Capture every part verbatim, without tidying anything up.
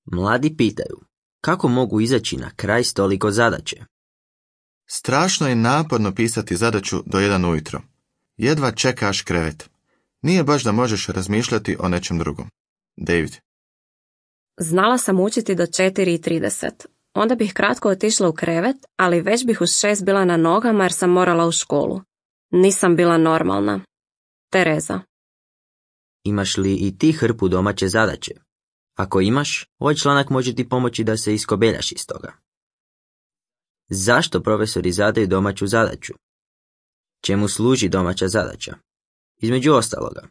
Mladi pitaju, kako mogu izaći na kraj s toliko zadaće? Strašno je naporno pisati zadaću do jedan ujutro. Jedva čekaš krevet. Nije baš da možeš razmišljati o nečem drugom. David. Znala sam učiti do četiri i trideset. Onda bih kratko otišla u krevet, ali već bih uz šest bila na nogama jer sam morala u školu. Nisam bila normalna. Tereza. Imaš li i ti hrpu domaće zadaće? Ako imaš, ovaj članak može ti pomoći da se iskobeljaš iz toga. Zašto profesori zadaju domaću zadaću? Čemu služi domaća zadaća? Između ostaloga,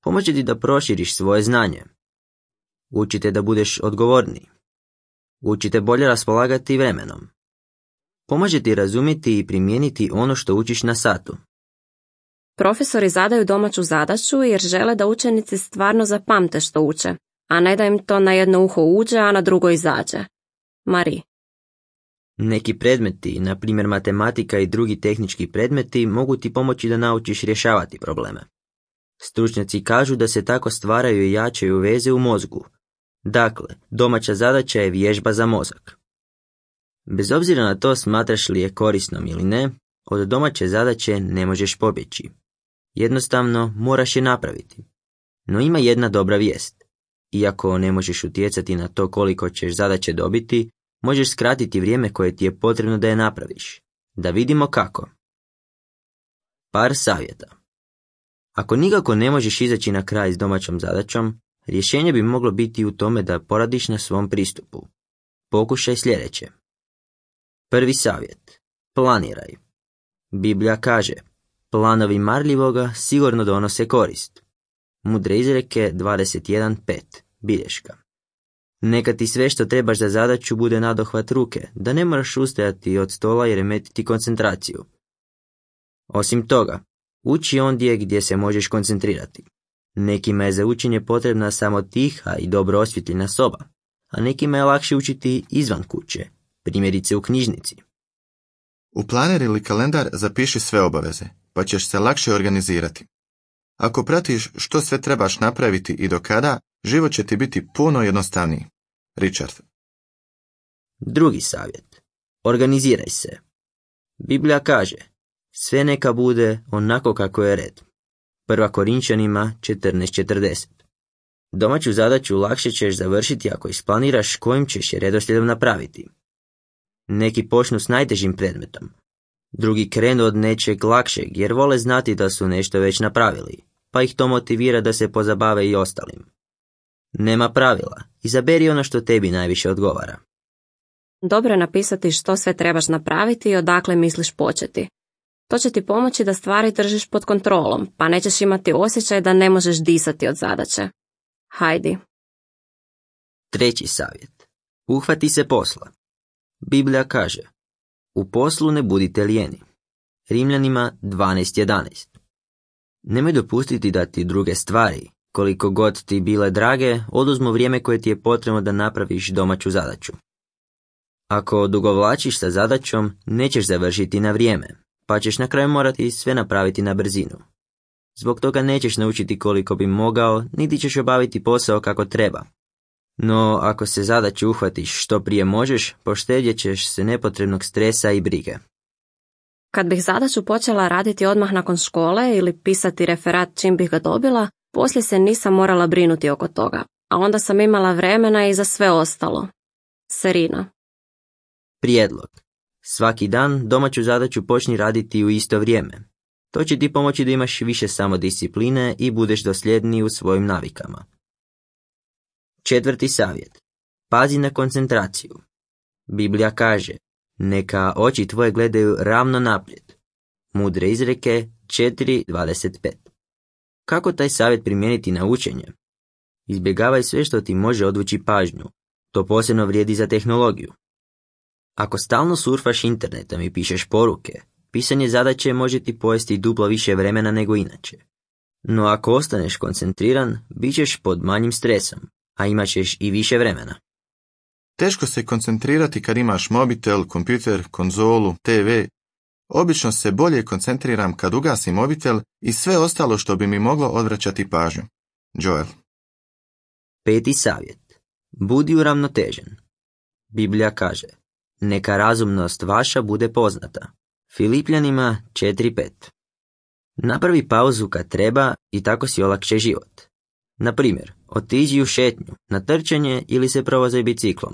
pomoći ti da proširiš svoje znanje. Učite da budeš odgovorniji. Učite bolje raspolagati vremenom. Pomaže ti razumjeti i primijeniti ono što učiš na satu. Profesori zadaju domaću zadaću jer žele da učenici stvarno zapamte što uče, a ne da im to na jedno uho uđe, a na drugo izađe. Marie. Neki predmeti, na primjer matematika i drugi tehnički predmeti, mogu ti pomoći da naučiš rješavati probleme. Stručnjaci kažu da se tako stvaraju i jačaju veze u mozgu. Dakle, domaća zadaća je vježba za mozak. Bez obzira na to smatraš li je korisnom ili ne, od domaće zadaće ne možeš pobjeći. Jednostavno moraš je napraviti. No ima jedna dobra vijest. Iako ne možeš utjecati na to koliko ćeš zadaće dobiti, možeš skratiti vrijeme koje ti je potrebno da je napraviš. Da vidimo kako. Par savjeta. Ako nikako ne možeš izaći na kraj s domaćom zadaćom, rješenje bi moglo biti u tome da poradiš na svom pristupu. Pokušaj sljedeće. Prvi savjet. Planiraj. Biblija kaže, planovi marljivoga sigurno donose korist. Mudre izreke dvadeset jedan pet. Bilješka. Neka ti sve što trebaš za zadaću bude nadohvat ruke, da ne moraš ustajati od stola i remetiti koncentraciju. Osim toga, uči ondje gdje se možeš koncentrirati. Nekima je za učenje potrebna samo tiha i dobro osvjetljena soba, a nekima je lakše učiti izvan kuće, primjerice u knjižnici. U planer ili kalendar zapiši sve obaveze, pa ćeš se lakše organizirati. Ako pratiš što sve trebaš napraviti i do kada, život će ti biti puno jednostavniji. Richard. Drugi savjet. Organiziraj se. Biblija kaže, sve neka bude onako kako je red. Prva Korinčanima četrnaest četrdeset. Domaću zadaću lakše ćeš završiti ako isplaniraš kojim ćeš je redoslijedom napraviti. Neki počnu s najtežim predmetom. Drugi krenu od nečeg lakšeg jer vole znati da su nešto već napravili, pa ih to motivira da se pozabave i ostalim. Nema pravila, izaberi ono što tebi najviše odgovara. Dobro je napisati što sve trebaš napraviti i odakle misliš početi. To će ti pomoći da stvari držiš pod kontrolom, pa nećeš imati osjećaj da ne možeš disati od zadaće. Hajdi. Treći savjet. Uhvati se posla. Biblija kaže, u poslu ne budite lijeni. Rimljanima dvanaest jedanaest. Nemoj dopustiti da ti druge stvari, koliko god ti bile drage, oduzmu vrijeme koje ti je potrebno da napraviš domaću zadaću. Ako odugovlačiš sa zadaćom, nećeš završiti na vrijeme, pa ćeš na kraju morati sve napraviti na brzinu. Zbog toga nećeš naučiti koliko bi mogao, niti ćeš obaviti posao kako treba. No, ako se zadaću uhvatiš što prije možeš, poštedjet ćeš se nepotrebnog stresa i brige. Kad bih zadaću počela raditi odmah nakon škole ili pisati referat čim bih ga dobila, poslije se nisam morala brinuti oko toga, a onda sam imala vremena i za sve ostalo. Serina. Prijedlog. Svaki dan domaću zadaću počni raditi u isto vrijeme. To će ti pomoći da imaš više samodiscipline i budeš dosljedniji u svojim navikama. Četvrti savjet. Pazi na koncentraciju. Biblija kaže, neka oči tvoje gledaju ravno naprijed. Mudre izreke četiri dvadeset pet. Kako taj savjet primijeniti na učenje? Izbjegavaj sve što ti može odvući pažnju. To posebno vrijedi za tehnologiju. Ako stalno surfaš internetom i pišeš poruke, pisanje zadaće može ti pojesti duplo više vremena nego inače. No ako ostaneš koncentriran, bit ćeš pod manjim stresom, a imat ćeš i više vremena. Teško se koncentrirati kad imaš mobitel, kompjuter, konzolu, te ve. Obično se bolje koncentriram kad ugasim mobitel i sve ostalo što bi mi moglo odvraćati pažnju. Joel. Peti savjet. Budi uravnotežen. Biblija kaže, neka razumnost vaša bude poznata. Filipljanima četiri pet. Napravi pauzu kad treba i tako si olakše život. Na primjer, otiđi u šetnju, na trčanje ili se provozaj biciklom.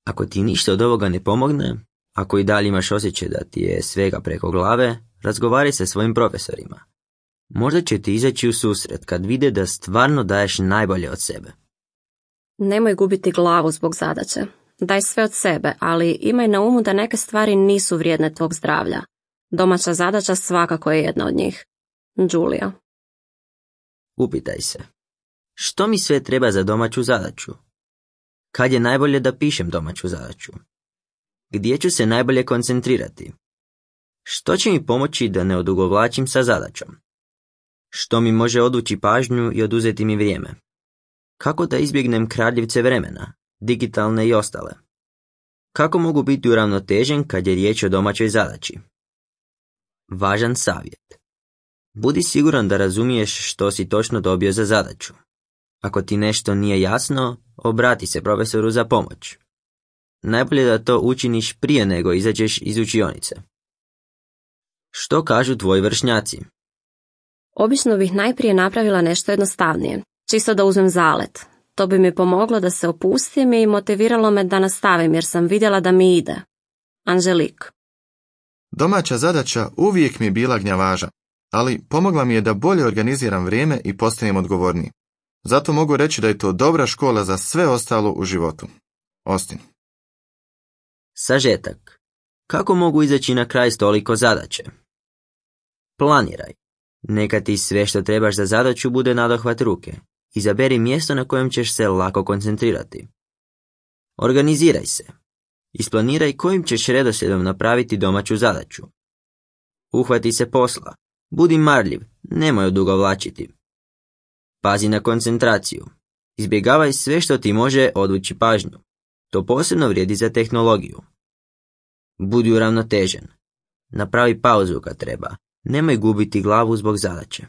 Ako ti ništa od ovoga ne pomogne, ako i dalje imaš osjećaj da ti je svega preko glave, razgovaraj sa svojim profesorima. Možda će ti izaći u susret kad vide da stvarno daješ najbolje od sebe. Nemoj gubiti glavu zbog zadaće. Daj sve od sebe, ali imaj na umu da neke stvari nisu vrijedne tvog zdravlja. Domaća zadaća svakako je jedna od njih. Julia. Upitaj se. Što mi sve treba za domaću zadaću? Kad je najbolje da pišem domaću zadaću? Gdje ću se najbolje koncentrirati? Što će mi pomoći da ne odugovlačim sa zadaćom? Što mi može odvući pažnju i oduzeti mi vrijeme? Kako da izbjegnem kradljivce vremena, digitalne i ostale? Kako mogu biti uravnotežen kad je riječ o domaćoj zadaći? Važan savjet. Budi siguran da razumiješ što si točno dobio za zadaću. Ako ti nešto nije jasno, obrati se profesoru za pomoć. Najbolje da to učiniš prije nego izađeš iz učionice. Što kažu tvoji vršnjaci? Obično bih najprije napravila nešto jednostavnije, čisto da uzmem zalet. To bi mi pomoglo da se opustim i motiviralo me da nastavim jer sam vidjela da mi ide. Anželik. Domaća zadaća uvijek mi je bila gnjavaža, ali pomogla mi je da bolje organiziram vrijeme i postanem odgovorniji. Zato mogu reći da je to dobra škola za sve ostalo u životu. Austin. Sažetak. Kako mogu izaći na kraj s toliko zadaće? Planiraj. Neka ti sve što trebaš za zadaću bude nadohvat ruke. Izaberi mjesto na kojem ćeš se lako koncentrirati. Organiziraj se. Isplaniraj kojim ćeš redoslijedom napraviti domaću zadaću. Uhvati se posla. Budi marljiv, nemoj odugovlačiti. Pazi na koncentraciju. Izbjegavaj sve što ti može odvući pažnju. To posebno vrijedi za tehnologiju. Budi uravnotežen. Napravi pauzu kad treba. Nemoj gubiti glavu zbog zadaće.